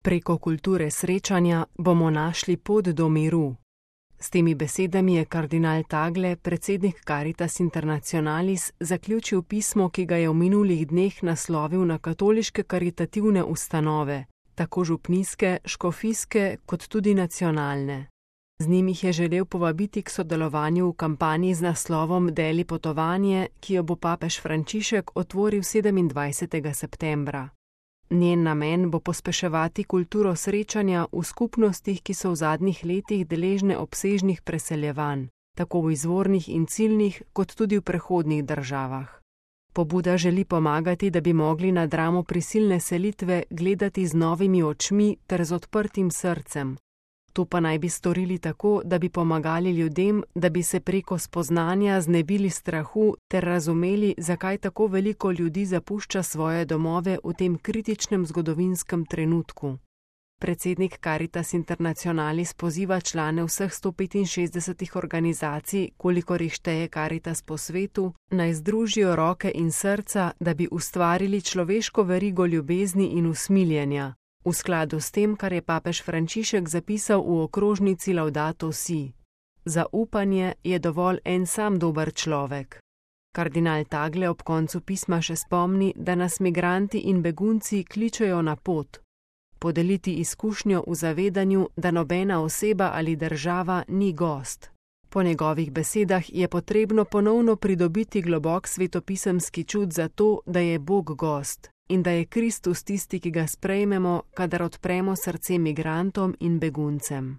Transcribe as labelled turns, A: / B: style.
A: Preko kulture srečanja bomo našli pot do miru. S temi besedami je kardinal Tagle, predsednik Caritas Internationalis, zaključil pismo, ki ga je v minulih dneh naslovil na katoliške karitativne ustanove, tako župnijske, škofijske kot tudi nacionalne. Z njim jih je želel povabiti k sodelovanju v kampanji z naslovom Deli potovanje, ki jo bo papež Frančišek otvoril 27. septembra. Njen namen bo pospeševati kulturo srečanja v skupnostih, ki so v zadnjih letih deležne obsežnih preseljevanj, tako v izvornih in ciljnih, kot tudi v prehodnih državah. Pobuda želi pomagati, da bi mogli na dramo prisilne selitve gledati z novimi očmi ter z odprtim srcem. To pa naj bi storili tako, da bi pomagali ljudem, da bi se preko spoznanja znebili strahu ter razumeli, zakaj tako veliko ljudi zapušča svoje domove v tem kritičnem zgodovinskem trenutku. Predsednik Caritas Internationalis poziva člane vseh 165 organizacij, kolikor jih šteje Caritas po svetu, naj združijo roke in srca, da bi ustvarili človeško verigo ljubezni in usmiljenja, v skladu s tem, kar je papež Frančišek zapisal v okrožnici Laudato Si. Za upanje je dovolj en sam dober človek. Kardinal Tagle ob koncu pisma še spomni, da nas migranti in begunci kličejo na pot. Podeliti izkušnjo v zavedanju, da nobena oseba ali država ni gost. Po njegovih besedah je potrebno ponovno pridobiti globok svetopisemski čut za to, da je Bog gost in da je Kristus tisti, ki ga sprejmemo, kadar odpremo srce migrantom in beguncem.